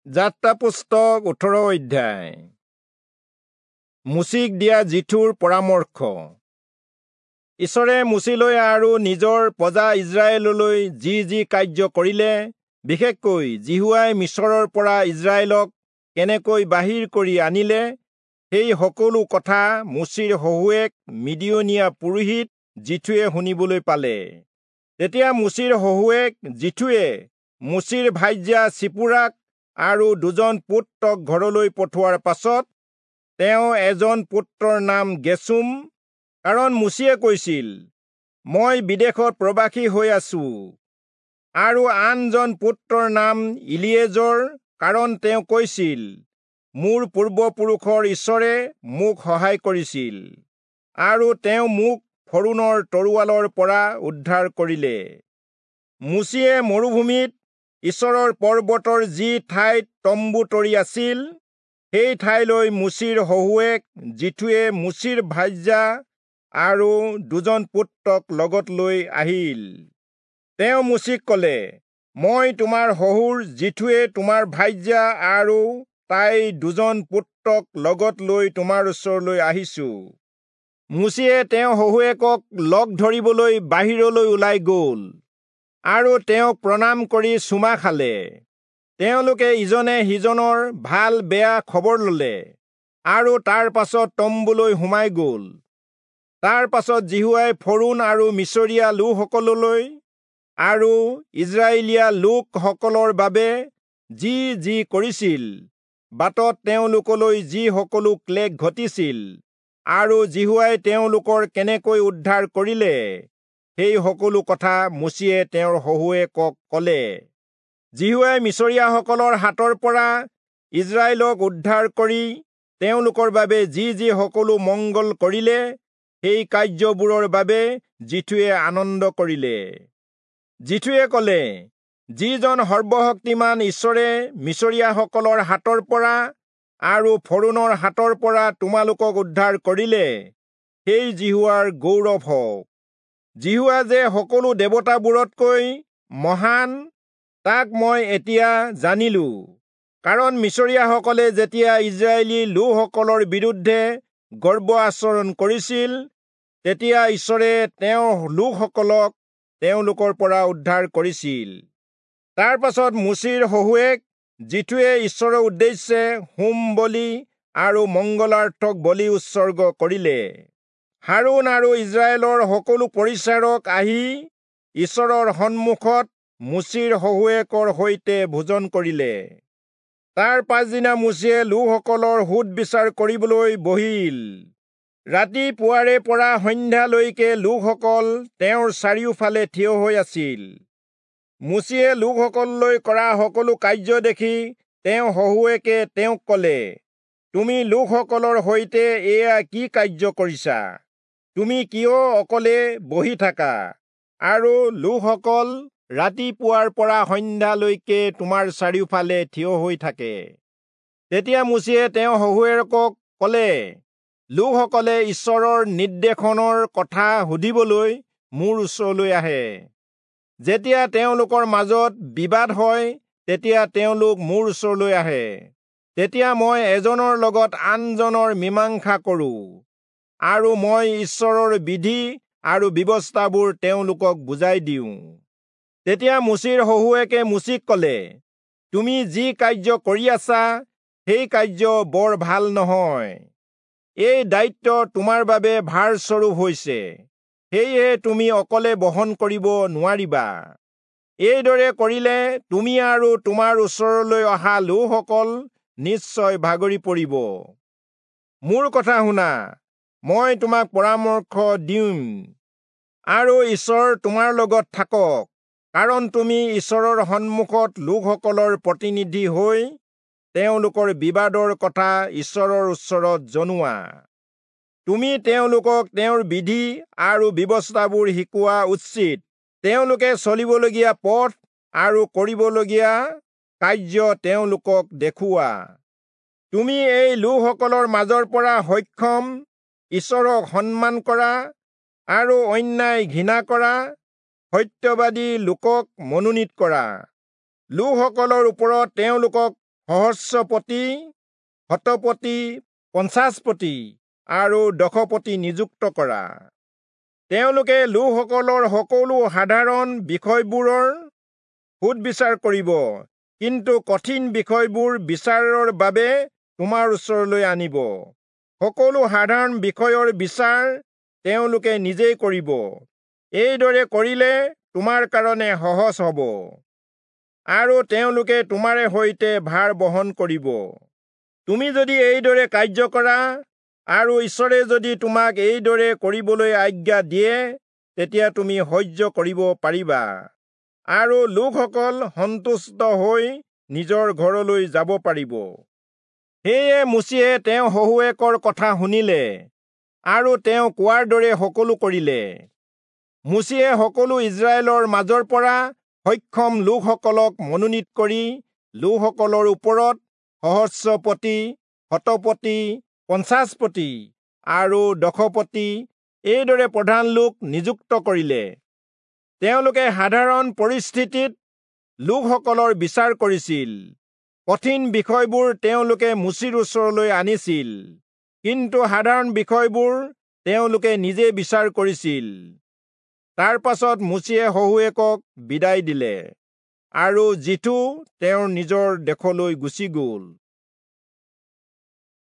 যাত্ৰা পুস্তক 18 অধ্যায়। মোচিক দিয়া যিথোৰ পৰামৰ্শ। ঈশ্বৰে মোচিলৈ আৰু নিজৰ প্ৰজা ইস্ৰায়েললৈ যি যি কাৰ্য কৰিলে, বিশেষকৈ যিহোৱাই মিচৰৰ পৰা ইস্ৰায়েলক কেনেকৈ বাহিৰ কৰি আনিলে, সেই সকলো কথা মোচিৰ শহুৱেক মিদিয়নীয়া পুৰোহিত যিথোৱে শুনিবলৈ পালে। তেতিয়া মোচিৰ শহুৱেক যিথোৱে মোচিৰ ভাৰ্যা চিপোৰাক আৰু দুজন পুত্ৰক ঘৰলৈ পঠোৱাৰ পাছত, তেওঁ এজন পুত্ৰৰ নাম গেচোম, কাৰণ মোচিয়ে কৈছিল, মই বিদেশত প্ৰবাসী হৈ আছো, আৰু আনজন পুত্ৰৰ নাম ইলিয়েজৰ, কাৰণ তেওঁ কৈছিল, মোৰ পূৰ্বপুৰুষৰ ঈশ্বৰে মোক সহায় কৰিছিল, আৰু তেওঁ মোক ফৰোণৰ তৰোৱালৰ পৰা উদ্ধাৰ কৰিলে। মোচিয়ে মৰুভূমিত ঈশ্বৰৰ পৰ্বতৰ যি ঠাইত তম্বু তৰি আছিল, সেই ঠাইলৈ মোচিৰ শহুৱেক যিথোৱে মোচিৰ ভাৰ্যা আৰু দুজন পুত্ৰক লগত লৈ আহিল। তেওঁ মোচিক কলে, মই তোমাৰ শহুৰ যিথোৱে তোমাৰ ভাৰ্যা আৰু তাইৰ দুজন পুত্ৰক লগত লৈ তোমাৰ ওচৰলৈ আহিছো। মোচিয়ে তেওঁ শহুৱেকক লগ ধৰিবলৈ বাহিৰলৈ ওলাই গল আৰু তেওঁক প্ৰণাম কৰি চুমা খালে। তেওঁলোকে ইজনে সিজনৰ ভাল বেয়া খবৰ ললে আৰু তাৰ পাছত তম্বুলৈ সোমাই গল। তাৰ পাছত যিহোৱাই ফৰোণ আৰু মিচৰীয়া লোকসকললৈ আৰু ইস্ৰায়েলীয়া লোকসকলৰ বাবে যি যি কৰিছিল, বাটত তেওঁলোকলৈ যি সকলো ক্লেশ ঘটিছিল, আৰু যিহোৱাই তেওঁলোকৰ কেনেকৈ উদ্ধাৰ কৰিলে, সেই সকলো কথা মোচিয়ে তেওঁৰ শহুৱেকক কলে। যিহোৱাই মিচৰীয়াসকলৰ হাতৰ পৰা ইস্ৰায়েলক উদ্ধাৰ কৰি তেওঁলোকৰ বাবে যি যি সকলো মংগল কৰিলে, সেই কাৰ্যবোৰৰ বাবে যিথোৱে আনন্দ কৰিলে। যিথোৱে কলে, যিজন সৰ্বশক্তিমান ঈশ্বৰে মিচৰীয়াসকলৰ হাতৰ পৰা আৰু ফৰোণৰ হাতৰ পৰা তোমালোকক উদ্ধাৰ কৰিলে, সেই যিহোৱাৰ গৌৰৱ হওক। যিহোৱা যে সকলো দেৱতাবোৰতকৈ মহান, তাক মই এতিয়া জানিলো, কাৰণ মিচৰীয়াসকলে যেতিয়া ইস্ৰায়েলী লোকসকলৰ বিৰুদ্ধে গৰ্ব আচৰণ কৰিছিল, তেতিয়া ঈশ্বৰে তেওঁৰ লোকসকলক তেওঁলোকৰ পৰা উদ্ধাৰ কৰিছিল। তাৰ পাছত মোচিৰ শহুৱেক যিথোৱে ঈশ্বৰৰ উদ্দেশ্যে হোম বলি আৰু মংগলাৰ্থক বলি উৎসৰ্গ কৰিলে। হাৰোণ আৰু ইস্ৰায়েলৰ সকলো পৰিচাৰক আহি ঈশ্বৰৰ সন্মুখত মোচিৰ শহুৱেকৰ সৈতে ভোজন কৰিলে। তাৰ পাছদিনা মোচিয়ে লোকসকলৰ সোধ বিচাৰ কৰিবলৈ বহিল। ৰাতিপুৱাৰে পৰা সন্ধ্যালৈকে লোকসকল তেওঁৰ চাৰিওফালে থিয় হৈ আছিল। মোচিয়ে লোকসকললৈ কৰা সকলো কাৰ্য দেখি তেওঁ শহুৱেকে তেওঁক কলে, তুমি লোকসকলৰ সৈতে এয়া কি কাৰ্য কৰিছা? তুমি কিয় অকলে বহি থাকা আৰু লোকসকল ৰাতিপুৱাৰ পৰা সন্ধ্যালৈকে তোমাৰ চাৰিওফালে থিয় হৈ থাকে? তেতিয়া মোচিয়ে তেওঁ শহুৱেকক কলে, লোকসকলে ঈশ্বৰৰ নিৰ্দেশনৰ কথা সুধিবলৈ মোৰ ওচৰলৈ আহে। যেতিয়া তেওঁলোকৰ মাজত বিবাদ হয়, তেতিয়া তেওঁলোক মোৰ ওচৰলৈ আহে। তেতিয়া মই এজনৰ লগত আনজনৰ মীমাংসা কৰোঁ, আৰু মই ঈশ্বৰৰ বিধি আৰু ব্যৱস্থাবোৰ তেওঁলোকক বুজাই দিওঁ। তেতিয়া মোচিৰ শহুৱেকে মোচিক কলে, তুমি যি কাৰ্য কৰি আছা, সেই কাৰ্য বৰ ভাল নহয়। এই দায়িত্ব তোমাৰ বাবে ভাৰস্বৰূপ হৈছে, সেয়েহে তুমি অকলে বহন কৰিব নোৱাৰিবা। এইদৰে কৰিলে তুমি আৰু তোমাৰ ওচৰলৈ অহা লোকসকল নিশ্চয় ভাগৰি পৰিব। মোৰ কথা শুনা, মই তোমাক পৰামৰ্শ দিম, আৰু ঈশ্বৰ তোমাৰ লগত থাকক, কাৰণ তুমি ঈশ্বৰৰ সন্মুখত লোকসকলৰ প্ৰতিনিধি হৈ তেওঁলোকৰ বিবাদৰ কথা ঈশ্বৰৰ ওচৰত জনোৱা। তুমি তেওঁলোকক তেওঁৰ বিধি আৰু ব্যৱস্থাবোৰ শিকোৱা উচিত। তেওঁলোকে চলিবলগীয়া পথ আৰু কৰিবলগীয়া কাৰ্য তেওঁলোকক দেখুওৱা। তুমি এই লোকসকলৰ মাজৰ পৰা সক্ষম, ঈশ্বৰক সন্মান কৰা আৰু অন্যায় ঘৃণা কৰা সত্যবাদী লোকক মনোনীত কৰা। লোকসকলৰ ওপৰত তেওঁলোকক সহস্ৰপতি, শতপতি, 50পতি আৰু 10পতি নিযুক্ত কৰা। তেওঁলোকে লোকসকলৰ সকলো সাধাৰণ বিষয়বোৰৰ সোধ-বিচাৰ কৰিব, কিন্তু কঠিন বিষয়বোৰ বিচাৰৰ বাবে তোমাৰ ওচৰলৈ আনিব। সকলো সাধাৰণ বিষয়ৰ বিচাৰ তেওঁলোকে নিজেই কৰিব। এইদৰে কৰিলে তোমাৰ কাৰণে সহজ হ'ব, আৰু তেওঁলোকে তোমাৰে সৈতে ভাৰ বহন কৰিব। তুমি যদি এইদৰে কাৰ্য কৰা, আৰু ঈশ্বৰে যদি তোমাক এইদৰে কৰিবলৈ আজ্ঞা দিয়ে, তেতিয়া তুমি সহ্য কৰিব পাৰিবা, আৰু লোকসকল সন্তুষ্ট হৈ নিজৰ ঘৰলৈ যাব পাৰিব। সেয়ে মোচিয়ে তেওঁ শহুৱেকৰ কথা শুনিলে আৰু তেওঁ কোৱাৰ দৰে সকলো কৰিলে। মোচিয়ে সকলো ইস্ৰায়েলৰ মাজৰ পৰা সক্ষম লোকসকলক মনোনীত কৰি লোকসকলৰ ওপৰত সহস্ৰপতি, শতপতি, 50পতি আৰু 10পতি এইদৰে প্ৰধান লোক নিযুক্ত কৰিলে। তেওঁলোকে সাধাৰণ পৰিস্থিতিত লোকসকলৰ বিচাৰ কৰিছিল। কঠিন বিষয়বোৰ তেওঁলোকে মোচিৰ ওচৰলৈ আনিছিল, কিন্তু সাধাৰণ বিষয়বোৰ তেওঁলোকে নিজে বিচাৰ কৰিছিল। তাৰ পাছত মোচিয়ে শহুৱেকক বিদায় দিলে, আৰু যিথো তেওঁৰ নিজৰ দেশলৈ গুচি গ'ল।